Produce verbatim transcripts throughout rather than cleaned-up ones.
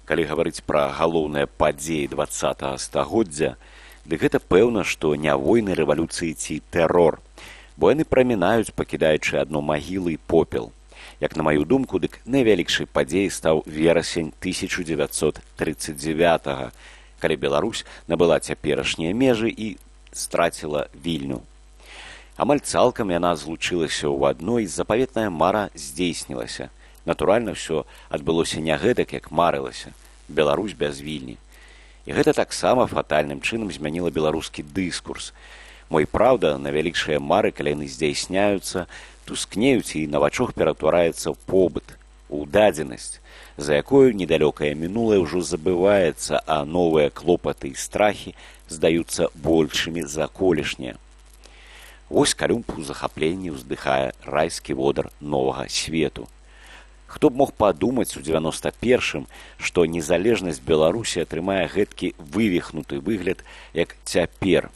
Калі гаварыць пра галоўныя падзеі дваццатага стагоддзя, дык гэта пэўна, што не войны, рэвалюцыі ці тэрор, бо яны прамінаюць, пакідаючы адно магілы і попел. Як на маю думку, дык найвялікшай падзеяй стаў верасень тысяча дзевяцьсот трыццаць дзевятага, калі Беларусь набыла цяперашнія межы і страціла Вільню. Амаль цалкам яна злучылася ў адной, запаветная мара здзейснілася. Натуральна, ўсё адбылося не гэтак, як марылася. Беларусь без Вільні. І гэта таксама фатальным чынам змяніла беларускі дыскурс. Мо і праўда, найвялікшыя мары, калі яны здзейсняюцца, тускнеюць і на вачах ператвараецца ў побыт, у дадзенасць, за якою недалёкае мінулае ўжо забываецца, а новыя клопаты і страхі здаюцца большымі за колішнія. Вось Калюмб у захапленні ўздыхае райскі водар новага свету. Хто б мог падумаць у дзевяноста першым, што незалежнасць Беларусі атрымае гэткі вывіхнуты выгляд, як цяпер,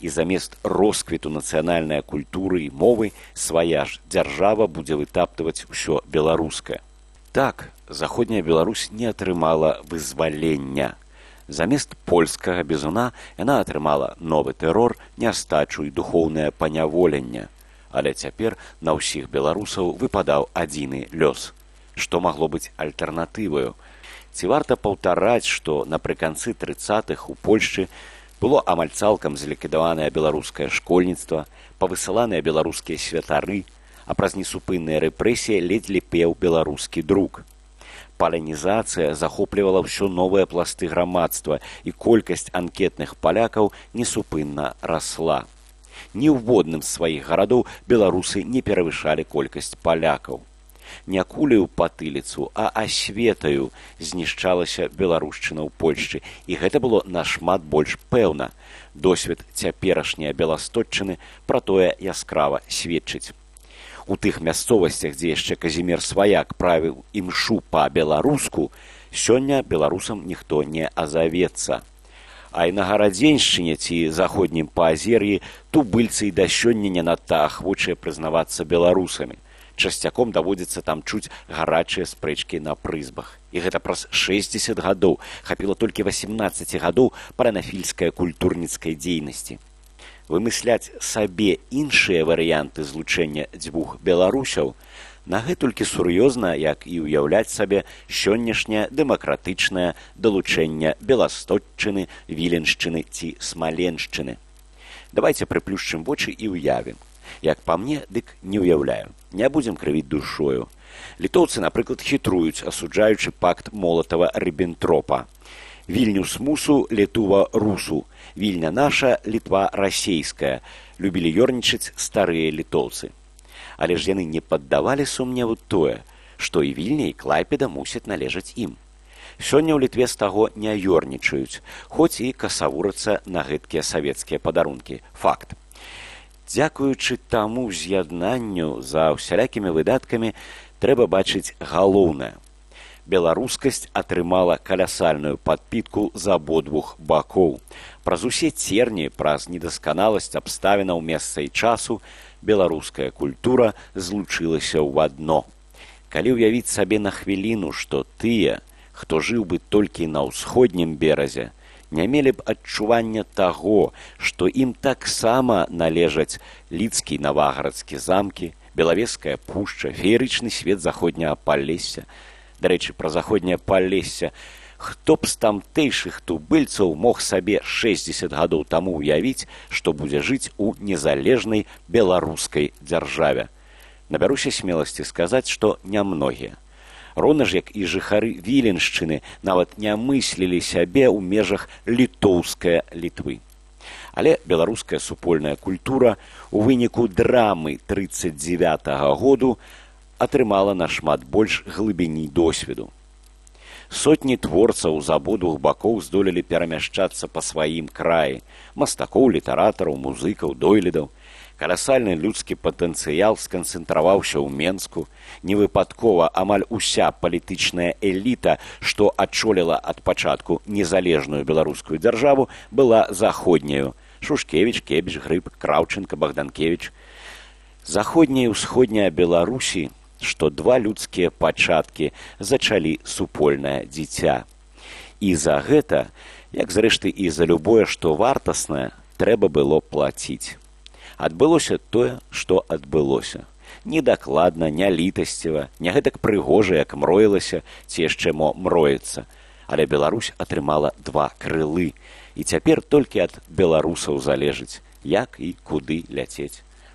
і замест росквіту нацыянальнай культуры і мовы свая ж дзяржава будзе вытаптваць усё беларускае. Так, заходняя Беларусь не атрымала вызвалення. Замест польскага бізуна яна атрымала новы тэрор, нястачу і духоўнае паняволенне. Але цяпер на ўсіх беларусаў выпадаў адзіны лёс. Што магло быць альтэрнатываю? Ці варта паўтараць, што напрыканцы трыццатых у Польшчы было амаль цалкам зліквідаванае беларускае школьніцтва, павысыланыя беларускія святары, а праз несупынныя рэпрэсіі ледзь пеў беларускі друк. Палянізацыя захоплівала ўсё новыя пласты грамадства, і колькасць анкетных палякаў несупынна расла. Ні ў водным з сваіх гарадоў беларусы не перавышалі колькасць палякаў. Не куляю патыліцу, а асветаю знішчалася беларушчына ў Польшчы, і гэта было нашмат больш пэўна. Досвед цяперашняй Беластотчыны пра тое яскрава сведчыць. У тых мясцовасцях, дзе яшчэ Казімір Сваяк правіў імшу па-беларуску, сёння беларусам ніхто не азавецца. А і на Гарадзеншчыне ці заходнім паазер'і тубыльцы і да сёння не надта ахвочыя прызнавацца беларусамі. Часцяком даводзіцца там чуць гарачыя спрэчкі на прызбах. І гэта праз шэсцьдзесят гадоў, хапіла толькі васемнаццаць гадоў паранафільскай культурніцкай дзейнасці. Вымысляць сабе іншыя варыянты злучэння дзвюх беларусяў на гэтулькі сур'ёзна, як і ўяўляць сабе сённяшняе дэмакратычнае далучэнне Беластотчыны, Віленшчыны ці Смаленшчыны. Давайце прыплюшчым вочы і ўявім. Як па мне, дык не ўяўляю. Не будзем крывіць душою. Літоўцы, напрыклад, хітруюць, асуджаючы пакт Молатава-Ріббентропа. Вільнюс мусу, Літува русу. Вільня наша, Літва расейская. Любілі ёрнічаць старыя літоўцы. Але ж яны не паддавалі сумневу тое, што і Вільня, і Клайпеда мусяць належаць ім. Сёння ў Літве з таго не ёрнічаюць, хоць і касавурацца на гэткія савецкія падарункі. Факт. Дзякуючы таму з'яднанню за ўсялякімі выдаткамі трэба бачыць галоўнае. Беларускасць атрымала калясальную падпітку з абодвух бакоў. Праз усе церні, праз недасканаласць абставінаў месца і часу беларуская культура злучылася ў адно. Калі ўявіць сабе на хвіліну, што тыя, хто жыў бы толькі на ўсходнім беразе, не мелі б адчування таго, што ім таксама належаць лідскі і наваградскі замкі, Белавежская пушча, феерычны свет заходняга Палесся. Дарэчы, пра заходняе Палесся. Хто б з тамтэйшых тубыльцаў мог сабе шэсцьдзесят гадоў таму ўявіць, што будзе жыць у незалежнай беларускай дзяржаве? Набяруся смеласці сказаць, што нямногія. Роўна ж, як і жыхары Віленшчыны нават не мыслілі сябе ў межах літоўскай Літвы. Але беларуская супольная культура у выніку драмы трыццаць дзевятага году атрымала нашмат больш глыбіні досведу. Сотні творцаў з абодвух бакоў здолелі перамяшчацца па сваім краі, мастакоў, літаратараў, музыкаў, дойлідаў. Каласальны людскі патэнцыял сканцэнтраваўся ў Менску. Невыпадкова амаль уся палітычная эліта, што адчоліла ад пачатку незалежную беларускую дзяржаву, была заходняю. Шушкевіч, Кебіч, Грыб, Краўчынка, Богданкевіч. Заходняя і ўсходняя Беларусі, што два людскія пачаткі зачалі супольнае дзіця. І за гэта, як зрэшты і за любое, што вартаснае, трэба было плаціць. Адбылося тое, што адбылося. Недакладна, не літасціва, не гэтак прыгожа, як мроілася, ці яшчэ мо мроецца. Але Беларусь атрымала два крылы. І цяпер толькі ад беларусаў залежыць, як і куды ляцець